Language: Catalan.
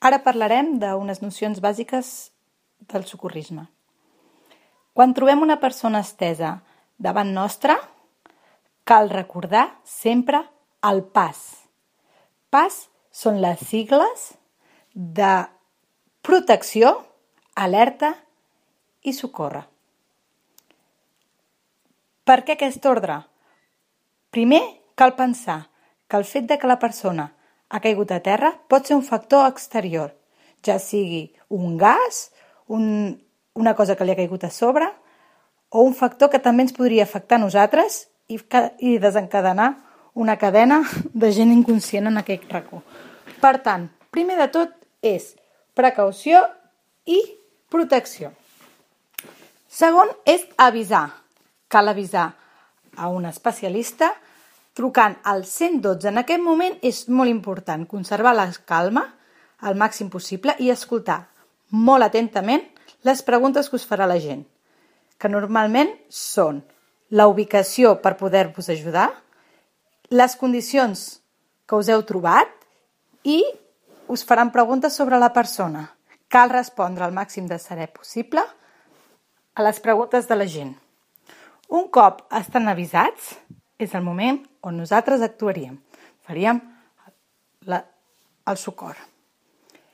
Ara parlarem d'unes nocions bàsiques del socorrisme. Quan trobem una persona estesa davant nostra, cal recordar sempre el PAS. PAS són les sigles de protecció, alerta i socórrer. Per què aquest ordre? Primer, cal pensar que el fet de que la persona ha caigut a terra pot ser un factor exterior, ja sigui un gas, una cosa que li ha caigut a sobre, o un factor que també ens podria afectar a nosaltres i desencadenar una cadena de gent inconscient en aquest racó. Per tant, primer de tot és precaució i protecció. Segon és avisar. Cal avisar a un especialista trucant al 112. En aquest moment és molt important conservar la calma al màxim possible i escoltar molt atentament les preguntes que us farà la gent, que normalment són la ubicació per poder-vos ajudar, les condicions que us heu trobat i us faran preguntes sobre la persona. Cal respondre al màxim de serè possible a les preguntes de la gent. Un cop estan avisats, és el moment on nosaltres actuaríem. Faríem el socors.